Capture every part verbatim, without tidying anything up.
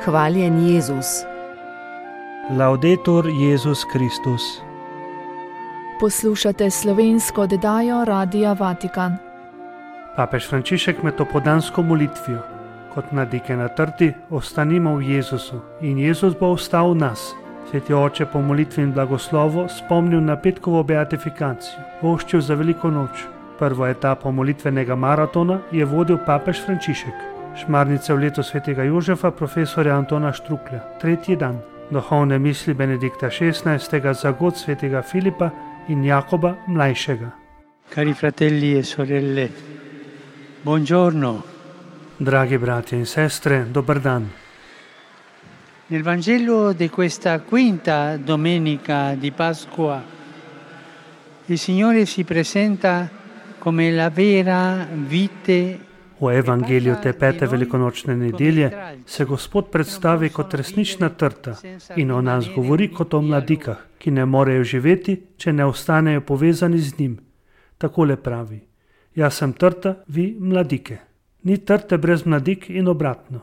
Hvaljen Jezus. Laudetur Jezus Kristus. Poslušate slovensko oddajo Radia Vatikan. Papež Frančišek med opoldansko molitvijo, kot mladike na trti, ostanimo v Jezusu in Jezus bo ostal v nas. Sveti oče po molitvi in blagoslovu spomnil na petkovo beatifikacijo, voščil za veliko noč. Prvo etapo molitvenega maratona je vodil papež Frančišek. Šmarnice v letu svetega Jožefa profesorja Antona Štruklja, tretji dan. Duhovne misli Benedikta šestnajstega za god svetega Filipa in Jakoba mlajšega. Cari fratelli e sorelle, buongiorno. Dragi bratje in sestre, dober dan. Nel Vangelo di questa quinta domenica di Pasqua, il Signore si presenta come la vera vite. V evangeliju te pete velikonočne nedelje se Gospod predstavi kot resnična trta in o nas govori kot o mladikah, ki ne morejo živeti, če ne ostanejo povezani z njim. Takole pravi: jaz sem trta, vi mladike. Ni trte brez mladik in obratno.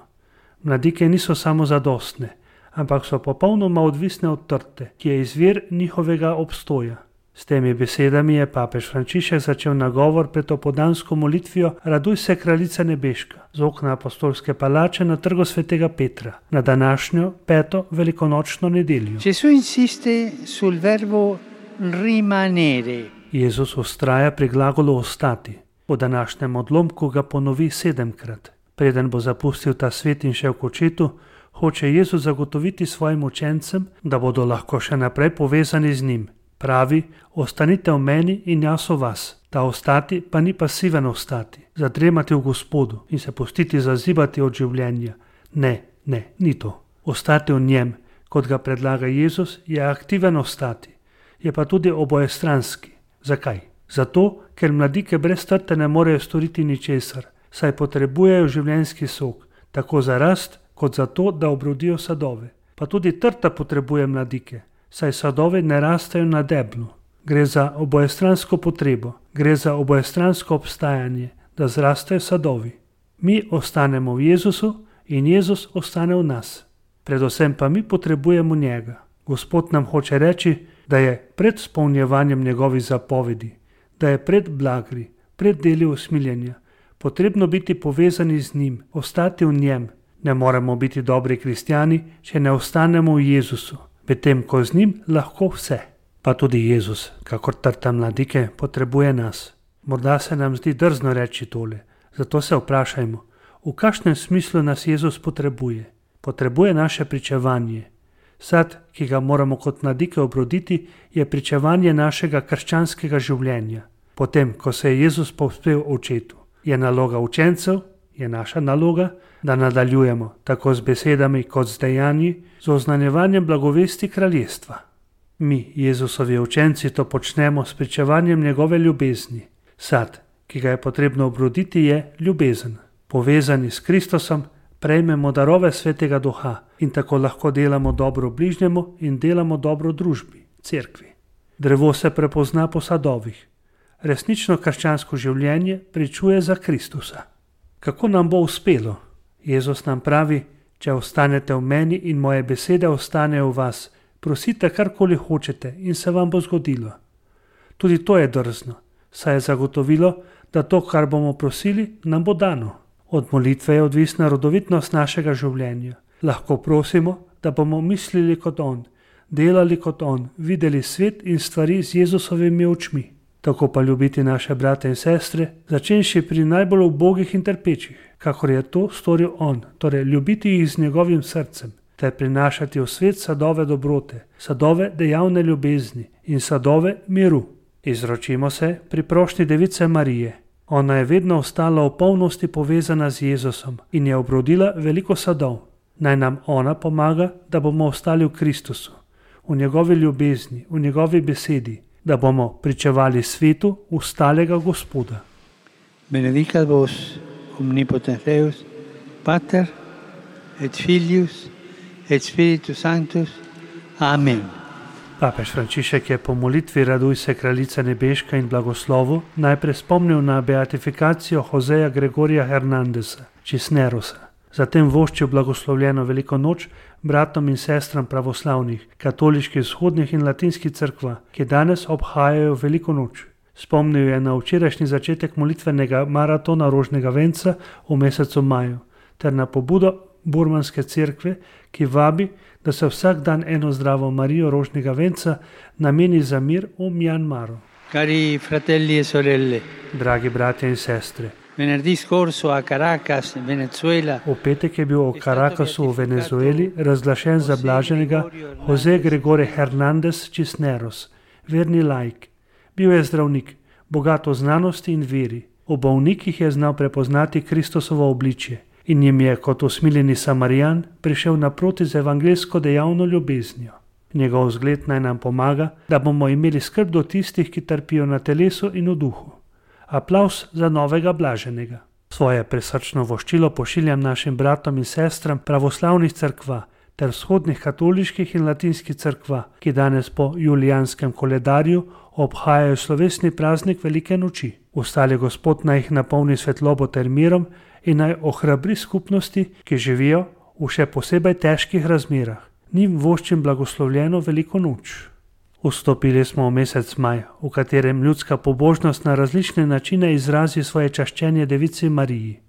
Mladike niso samo zadostne, ampak so popolnoma odvisne od trte, ki je izvir njihovega obstoja. S temi besedami je papež Frančišek začel nagovor pred opoldansko molitvijo Raduj se, kraljica nebeška, z okna apostolske palače na trgu svetega Petra, na današnjo peto velikonočno nedeljo. Gesù insiste sul verbo rimanere. Jezus ustraja pri glagolu ostati. Po današnjem odlomku ga ponovi sedemkrat. Preden bo zapustil ta svet in šel k očetu, hoče Jezus zagotoviti svojim učencem, da bodo lahko še naprej povezani z njim. Pravi, ostanite v meni in jaz v vas. Ta ostati pa ni pasiven ostati, zadremati v Gospodu in se pustiti zazibati od življenja. Ne, ne, ni to. Ostati v njem, kot ga predlaga Jezus, je aktiven ostati. Je pa tudi obojestranski. Zakaj? Zato, ker mladike brez trte ne morejo storiti ničesar, saj potrebujejo življenjski sok, tako za rast, kot za to, da obrodijo sadove. Pa tudi trta potrebuje mladike, saj sadovi ne rastejo na deblu. Gre za obojestransko potrebo, gre za obojestransko obstajanje, da zrastejo sadovi. Mi ostanemo v Jezusu in Jezus ostane v nas. Predvsem pa mi potrebujemo njega. Gospod nam hoče reči, da je pred spolnjevanjem njegovih zapovedi, da je pred blagri, pred deli usmiljenja, potrebno biti povezani z njim, ostati v njem. Ne moremo biti dobri kristjani, če ne ostanemo v Jezusu, medtem ko z njim lahko vse. Pa tudi Jezus, kakor trta mladike, potrebuje nas. Morda se nam zdi drzno reči tole, zato se vprašajmo, v kakšnem smislu nas Jezus potrebuje. Potrebuje naše pričevanje. Sad, ki ga moramo kot mladike obroditi, je pričevanje našega krščanskega življenja. Potem, ko se je Jezus povzpel očetu, je naloga učencev, je naša naloga, da nadaljujemo tako z besedami kot z dejanji, z oznanjevanjem blagovesti kraljestva. Mi, Jezusovi učenci, to počnemo s pričevanjem njegove ljubezni. Sad, ki ga je potrebno obroditi, je ljubezen. Povezani s Kristusom, prejmemo darove svetega duha in tako lahko delamo dobro bližnjemu in delamo dobro družbi, cerkvi. Drevo se prepozna po sadovih. Resnično krščansko življenje pričuje za Kristusa. Kako nam bo uspelo? Jezus nam pravi, če ostanete v meni in moje besede ostanejo v vas, prosite karkoli hočete in se vam bo zgodilo. Tudi to je drzno, saj je zagotovilo, da to, kar bomo prosili, nam bo dano. Od molitve je odvisna rodovitnost našega življenja. Lahko prosimo, da bomo mislili kot on, delali kot on, videli svet in stvari z Jezusovimi očmi. Tako pa ljubiti naše brate in sestre, začenši pri najbolj ubogih in trpečih, kakor je to storil on, torej ljubiti jih z njegovim srcem, ter prinašati v svet sadove dobrote, sadove dejavne ljubezni in sadove miru. Izročimo se pri prošnji Device Marije. Ona je vedno ostala v polnosti povezana z Jezusom in je obrodila veliko sadov. Naj nam ona pomaga, da bomo ostali v Kristusu, v njegovi ljubezni, v njegovi besedi, da bomo pričevali svetu ustalega Gospoda. Benedicat vos omnipotens Deus, Pater et Filius et Spiritus Sanctus. Amen. Papež Frančišek je po molitvi Raduj se, kraljica nebeška in blagoslovu najprej spomnil na beatifikacijo Joseja Gregorija Hernandesa, Cisnerosa. Zatem voščil blagoslovljeno veliko noč bratom in sestram pravoslavnih, katoliških vzhodnih in latinskih cerkva, ki danes obhajajo veliko noč. Spomnil je na včerajšnji začetek molitvenega maratona rožnega venca v mesecu maju, ter na pobudo burmanske cerkve, ki vabi, da se vsak dan eno zdravo Marijo rožnega venca nameni za mir v Mjanmaru. Cari fratelli e sorelle, Dragi bratje in sestre, venerdì scorso a Caracas, Venezuela, v petek je bil v Caracasu v Venezueli razglašen za blaženega Jose Gregorio Hernández Cisneros, verni laik. Bil je zdravnik, bogat v znanosti in veri. V bolnikih je znal prepoznati Kristusovo obličje in jim je kot usmiljeni Samarijan prišel naproti z evangeljsko dejavno ljubeznijo. Njegov zgled naj nam pomaga, da bomo imeli skrb do tistih, ki trpijo na telesu in v duhu. Aplavz za novega blaženega. Svoje presrčno voščilo pošiljam našim bratom in sestram pravoslavnih cerkva ter vzhodnih katoliških in latinskih cerkva, ki danes po julijanskem koledarju obhajajo slovesni praznik velike noči. Ustali Gospod naj jih napolni svetlobo ter mirom in naj ohrabri skupnosti, ki živijo v še posebej težkih razmerah. Njim voščim blagoslovljeno veliko noč. Vstopili smo v mesec maj, v katerem ljudska pobožnost na različne načine izrazi svoje čaščenje Devici Mariji.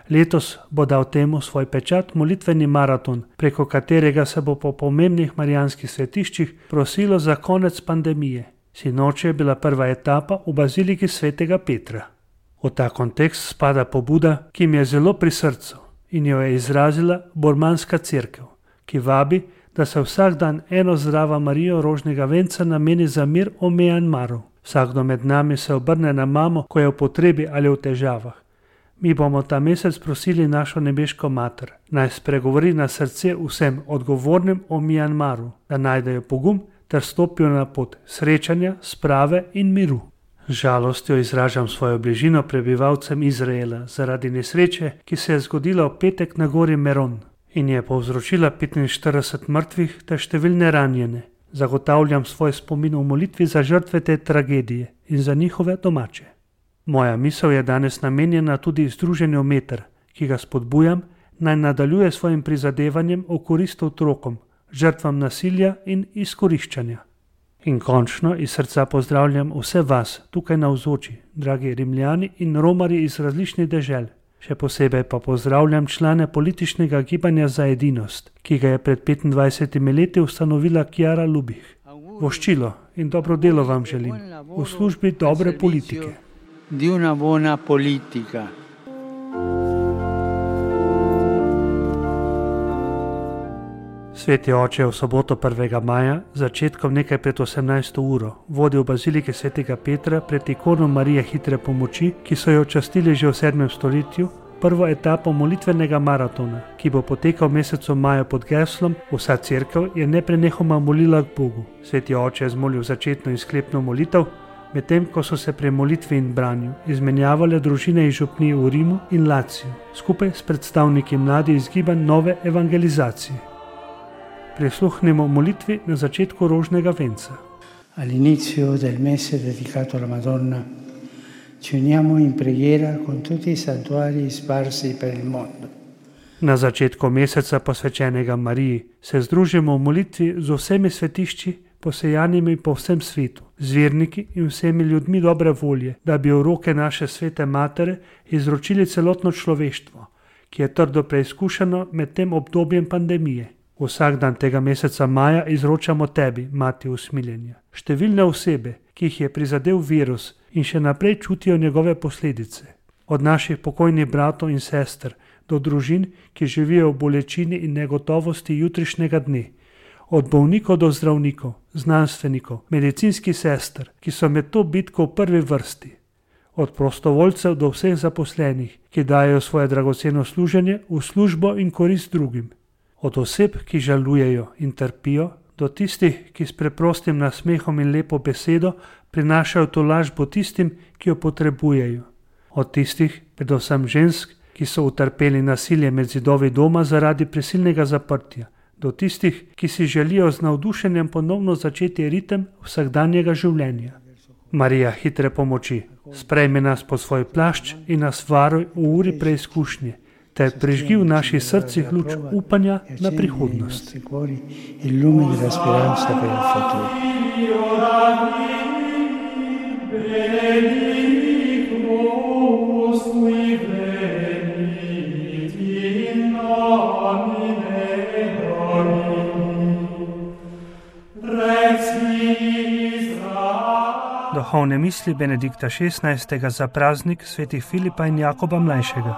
Letos bo dal temu svoj pečat molitveni maraton, preko katerega se bo po pomembnih marijanskih svetiščih prosilo za konec pandemije. Sinoči je bila prva etapa v baziliki svetega Petra. V ta kontekst spada pobuda, ki mi je zelo pri srcu in jo je izrazila burmanska cerkev, ki vabi, da se vsak dan eno zdrava Marijo rožnega venca nameni za mir v Mjanmaru. Vsakdo med nami se obrne na mamo, ko je v potrebi ali v težavah. Mi bomo ta mesec prosili našo nebeško mater, naj spregovori na srce vsem odgovornim v Mjanmaru, da najdejo pogum ter stopijo na pot srečanja, sprave in miru. Z žalostjo izražam svojo bližino prebivalcem Izraela zaradi nesreče, ki se je zgodila v petek na gori Meron in je povzročila petinštirideset mrtvih ter številne ranjene. Zagotavljam svoj spomin v molitvi za žrtve te tragedije in za njihove domače. Moja misel je danes namenjena tudi združenju Meter, ki ga spodbujam, naj nadaljuje svojim prizadevanjem v korist otrokom, žrtvam nasilja in izkoriščanja. In končno iz srca pozdravljam vse vas tukaj navzoči, dragi Rimljani in Romarji iz različnih dežel. Še posebej pa pozdravljam člane političnega gibanja za edinost, ki ga je pred petindvajsetimi leti ustanovila Chiara Lubich. Voščilo in dobro delo vam želim v službi dobre politike. Di una buona politica. Sveti oče je v soboto prvega maja, začetkom nekaj pred osemnajsto uro, vodil v bazilike svetega Petra pred ikono Marije hitre pomoči, ki so jo častili že v sedmem stoletju, prvo etapo molitvenega maratona, ki bo potekal v mesecu maju pod geslom Vsa cerkev je neprenehoma molila k Bogu. Sveti oče je zmolil začetno in sklepno molitev, medtem ko so se pri molitvi in branju izmenjavale družine iz župnij v Rimu in Laciju, skupaj s predstavniki mladih iz gibanj nove evangelizacije. Prisluhnimo molitvi na začetku rožnega venca. All'inizio del mese dedicato alla Madonna ci uniamo in preghiera con tutti i santuari sparsi per il mondo. Na začetku meseca posvečenega Mariji se združimo v molitvi z vsemi svetišči, posejanimi po vsem svetu, z verniki in vsemi ljudmi dobre volje, da bi v roke naše svete matere izročili celotno človeštvo, ki je trdo preizkušeno med tem obdobjem pandemije. Vsak dan tega meseca maja izročamo tebi, mati usmiljenja. Številne osebe, ki jih je prizadel virus in še naprej čutijo njegove posledice. Od naših pokojnih bratov in sester do družin, ki živijo v bolečini in negotovosti jutrišnjega dne. Od bolnikov do zdravnikov, znanstvenikov, medicinskih sester, ki so med to bitko v prvi vrsti. Od prostovoljcev do vseh zaposlenih, ki dajo svoje dragoceno služenje v službo in korist drugim. Od oseb, ki žalujejo in trpijo, do tistih, ki s preprostim nasmehom in lepo besedo prinašajo tolažbo tistim, ki jo potrebujejo. Od tistih, predvsem žensk, ki so utrpeli nasilje med zidovi doma zaradi prisilnega zaprtja, do tistih, ki si želijo z navdušenjem ponovno začeti ritem vsakdanjega življenja. Marija hitre pomoči, sprejmi nas pod svoj plašč in nas varuj v uri preizkušnje, ter prižgi v naših srcih luč upanja na prihodnost. Duhovne misli Benedikta šestnajstega za praznik svetih Filipa in Jakoba mlajšega.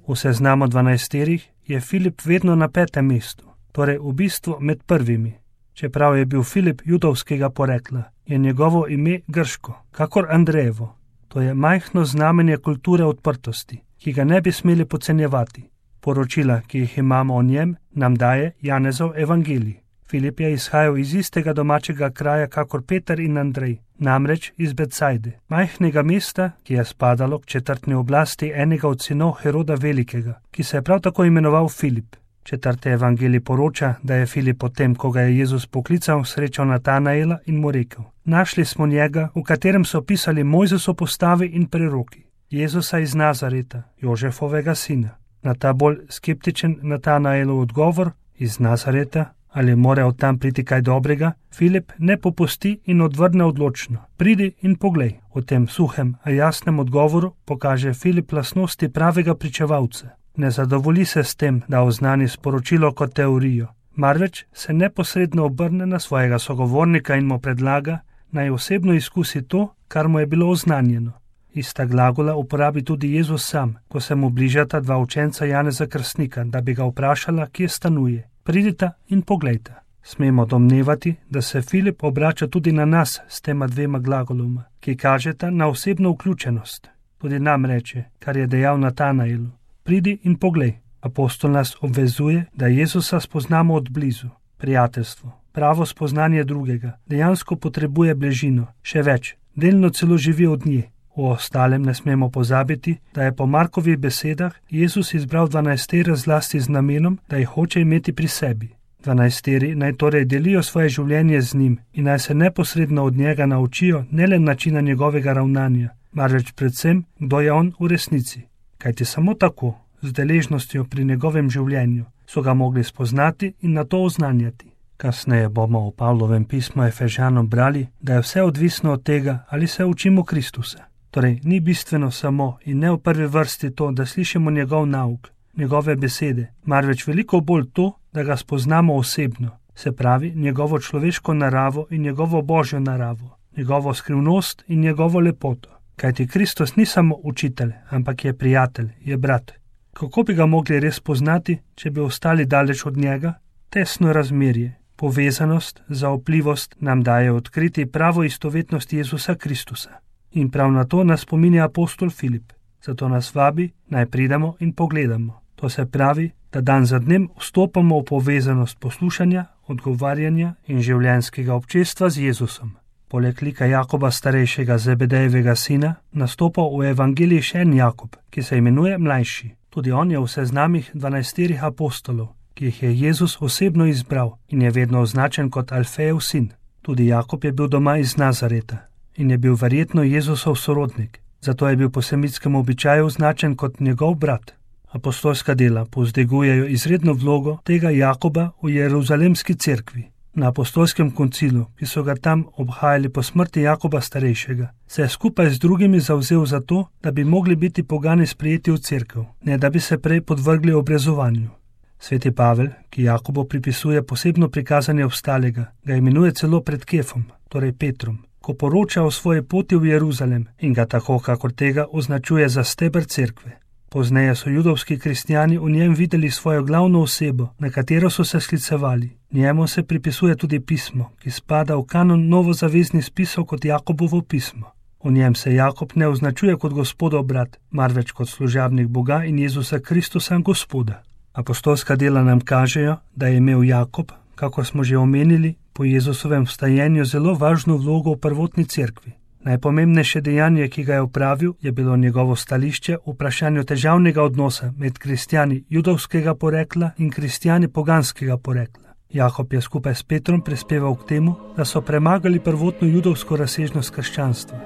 V seznamu dvanajsterih je Filip vedno na petem mestu, torej v bistvu med prvimi. Čeprav je bil Filip judovskega porekla, je njegovo ime grško, kakor Andrejevo. To je majhno znamenje kulture odprtosti, ki ga ne bi smeli podcenjevati. Poročila, ki jih imamo o njem, nam daje Janezov evangelij. Filip je izhajal iz istega domačega kraja kakor Peter in Andrej, namreč iz Betsajde, majhnega mesta, ki je spadalo k četrtni oblasti enega od sinov Heroda Velikega, ki se je prav tako imenoval Filip. Četrti evangelij poroča, da je Filip potem, ko ga je Jezus poklical, srečal Natanaela in mu rekel: Našli smo njega, v katerem so pisali Mojzesov postavi in preroki, Jezusa iz Nazareta, Jožefovega sina. Na ta bolj skeptičen Natanaelov odgovor: iz Nazareta? Ali mora od tam priti kaj dobrega? Filip ne popusti in odvrne odločno: Pridi in poglej. V tem suhem, a jasnem odgovoru pokaže Filip lastnosti pravega pričevalca. Ne zadovolji se s tem, da oznani sporočilo kot teorijo, marveč se neposredno obrne na svojega sogovornika in mu predlaga, naj osebno izkusi to, kar mu je bilo oznanjeno. Ista glagola uporabi tudi Jezus sam, ko se mu bližata dva učenca Janeza Krstnika, da bi ga vprašala, kje stanuje. Pridita in poglejta. Smemo domnevati, da se Filip obrača tudi na nas s tema dvema glagoloma, ki kažeta na osebno vključenost. Tudi nam reče, kar je dejal Natanaelu: Pridi in poglej. Apostol nas obvezuje, da Jezusa spoznamo od blizu. Prijateljstvo, pravo spoznanje drugega, dejansko potrebuje bližino, še več, delno celo živi od nje. O ostalem ne smemo pozabiti, da je po Markovih besedah Jezus izbral dvanajstere zlasti z namenom, da jih hoče imeti pri sebi. Dvanajsteri naj torej delijo svoje življenje z njim in naj se neposredno od njega naučijo ne le načina njegovega ravnanja, marveč predvsem, kdo je on v resnici. Kajti samo tako, z deležnostjo pri njegovem življenju, so ga mogli spoznati in na to oznanjati. Kasneje bomo v Pavlovem pismu Efežanom brali, da je vse odvisno od tega, ali se učimo Kristusa. Torej, ni bistveno samo in ne v prvi vrsti to, da slišimo njegov nauk, njegove besede, marveč veliko bolj to, da ga spoznamo osebno, se pravi njegovo človeško naravo in njegovo božjo naravo, njegovo skrivnost in njegovo lepoto. Kajti Kristus ni samo učitelj, ampak je prijatelj, je brat. Kako bi ga mogli res poznati, če bi ostali daleč od njega? Tesno razmerje, povezanost, zaupljivost nam daje odkriti pravo istovetnost Jezusa Kristusa. In prav na to nas spominja apostol Filip. Zato nas vabi, naj pridemo in pogledamo. To se pravi, da dan za dnem vstopamo v povezanost poslušanja, odgovarjanja in življenjskega občestva z Jezusom. Poleg lika Jakoba starejšega Zebedejevega sina nastopa v evangeliji še en Jakob, ki se imenuje mlajši. Tudi on je v seznamih dvanajsterih apostolov, ki jih je Jezus osebno izbral in je vedno označen kot Alfejev sin. Tudi Jakob je bil doma iz Nazareta in je bil verjetno Jezusov sorodnik, zato je bil po semitskem običaju označen kot njegov brat. Apostolska dela povzdegujejo izredno vlogo tega Jakoba v Jeruzalemski cerkvi. Na apostolskem koncilu, ki so ga tam obhajali po smrti Jakoba starejšega, se je skupaj z drugimi zavzel za to, da bi mogli biti pogani sprejeti v cerkev, ne da bi se prej podvrgli obrezovanju. Sveti Pavel, ki Jakobu pripisuje posebno prikazanje obstalega, ga imenuje celo pred Kefom, torej Petrom, ko poroča o svoji poti v Jeruzalem in ga tako, kakor tega, označuje za steber cerkve. Pozneje so judovski kristjani v njem videli svojo glavno osebo, na katero so se sklicevali. Njemu se pripisuje tudi pismo, ki spada v kanon novozaveznih spisov kot Jakobovo pismo. V njem se Jakob ne označuje kot gospodov brat, marveč kot služabnik Boga in Jezusa Kristusa Gospoda. Apostolska dela nam kažejo, da je imel Jakob, kakor smo že omenili, po Jezusovem vstajenju zelo važno vlogo v prvotni cerkvi. Najpomembnejše dejanje, ki ga je opravil, je bilo njegovo stališče v vprašanju težavnega odnosa med kristjani judovskega porekla in kristjani poganskega porekla. Jakob je skupaj s Petrom prispeval k temu, da so premagali prvotno judovsko razsežnost krščanstva.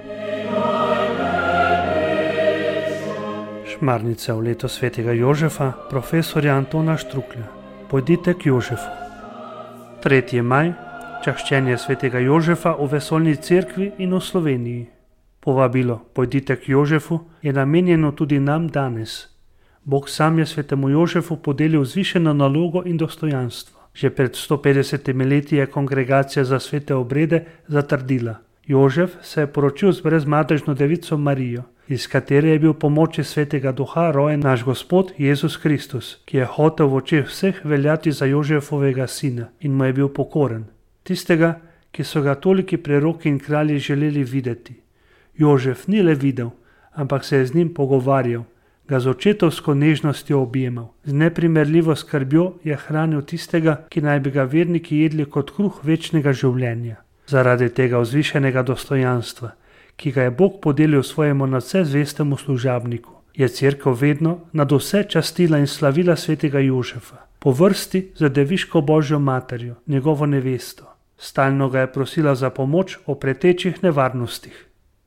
Šmarnica v leto svetega Jožefa, profesorja Antona Štruklja. Pojdite k Jožefu. tretji maj, čaščenje svetega Jožefa v vesoljni cerkvi in v Sloveniji. Povabilo Pojdite k Jožefu je namenjeno tudi nam danes. Bog sam je svetemu Jožefu podelil zvišeno nalogo in dostojanstvo. Že pred sto petdesetimi leti je kongregacija za svete obrede zatrdila: Jožef se je poročil z brezmadežno devico Marijo, iz katere je bil po moči svetega duha rojen naš Gospod Jezus Kristus, ki je hotel v očeh vseh veljati za Jožefovega sina in mu je bil pokoren. Tistega, ki so ga toliki preroki in kralji želeli videti. Jožef ni le videl, ampak se je z njim pogovarjal, ga z očetovsko nežnostjo objemal. Z neprimerljivo skrbjo je hranil tistega, ki naj bi ga verniki jedli kot kruh večnega življenja. Zaradi tega vzvišenega dostojanstva, ki ga je Bog podelil svojemu nadvse zvestemu služabniku, je cerkev vedno nad vse častila in slavila svetega Jožefa, po vrsti za deviško Božjo materjo, njegovo nevesto. Stalno ga je prosila za pomoč o pretečih nevarnostih.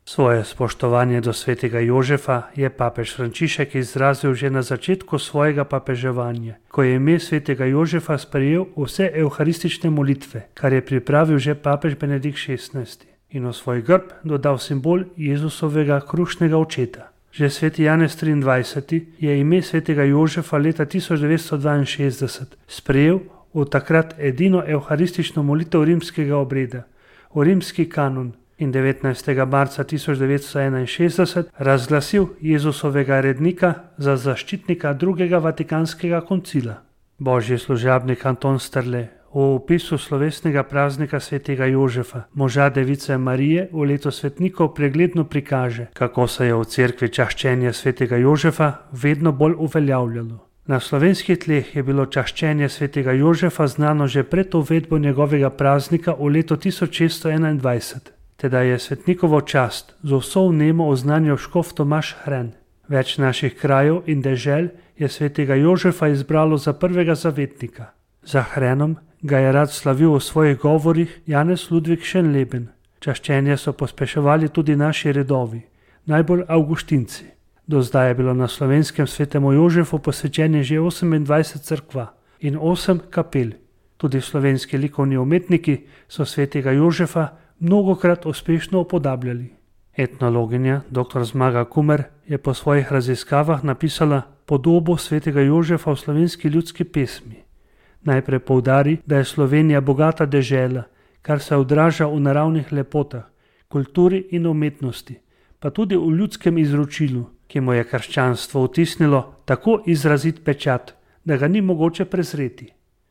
Svoje spoštovanje do svetega Jožefa je papež Frančišek izrazil že na začetku svojega papeževanja, ko je ime svetega Jožefa sprejel vse evharistične molitve, kar je pripravil že papež Benedikt šestnajsti, in v svoj grb dodal simbol Jezusovega krušnega očeta. Že sveti Janez triindvajseti je ime svetega Jožefa leta tisoč devetsto dvainšestdeset sprejel v takrat edino evharistično molitev rimskega obreda, v rimski kanon, in devetnajstega marca tisoč devetsto enainšestdeset razglasil Jezusovega rednika za zaščitnika drugega vatikanskega koncila. Božji služabnik Anton Strle v opisu slovesnega praznika svetega Jožefa, moža device Marije, v leto svetnikov pregledno prikaže, kako se je v cerkvi čaščenje svetega Jožefa vedno bolj uveljavljalo. Na slovenskih tleh je bilo čaščenje svetega Jožefa znano že pred uvedbo njegovega praznika v leto tisoč šeststo enaindvajset. Teda je svetnikovo čast z vso vnemo oznanil škof Tomaž Hren. Več naših krajev in dežel je svetega Jožefa izbralo za prvega zavetnika. Za Hrenom ga je rad slavil v svojih govorih Janez Ludvik Šenleben. Čaščenje so pospeševali tudi naši redovi, najbolj avguštinci. Do zdaj je bilo na slovenskem svetemu Jožefu posvečenih že osemindvajset cerkva in osem kapel. Tudi slovenski likovni umetniki so svetega Jožefa mnogokrat uspešno upodabljali. Etnologinja dr. Zmaga Kumer je po svojih raziskavah napisala podobo svetega Jožefa v slovenski ljudski pesmi. Najprej poudari, da je Slovenija bogata dežela, kar se odraža v naravnih lepotah, kulturi in umetnosti, pa tudi v ljudskem izročilu, ki mu je krščanstvo vtisnilo tako izrazit pečat, da ga ni mogoče prezreti.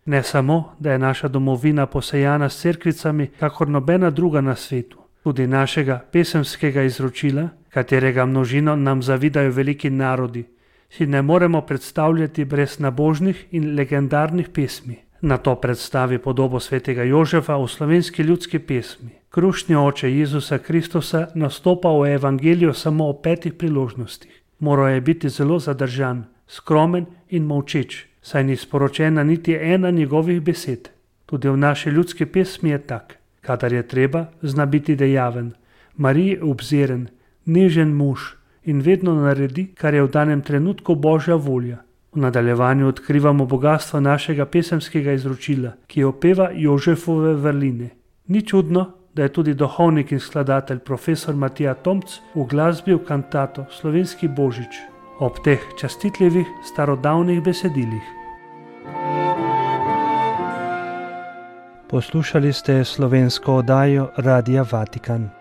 Ne samo, da je naša domovina posejana s cerkvicami, kakor nobena druga na svetu, tudi našega pesemskega izročila, katerega množino nam zavidajo veliki narodi, si ne moremo predstavljati brez nabožnih in legendarnih pesmi. Na to predstavi podobo svetega Jožefa v slovenski ljudski pesmi. Krušni oče Jezusa Kristusa nastopa v evangeliju samo o petih priložnostih. Moral je biti zelo zadržan, skromen in molčeč, saj ni sporočena niti ena njegovih besed. Tudi v naši ljudski pesmi je tak. Kadar je treba, zna biti dejaven, Mariji obziren, nežen mož in vedno naredi, kar je v danem trenutku Božja volja. V nadaljevanju odkrivamo bogatstvo našega pesemskega izročila, ki opeva Jožefove vrline. Ni čudno, da je tudi duhovnik in skladatelj profesor Matija Tomc uglasbil kantato Slovenski Božič ob teh častitljivih starodavnih besedilih. Poslušali ste slovensko oddajo Radia Vatikan.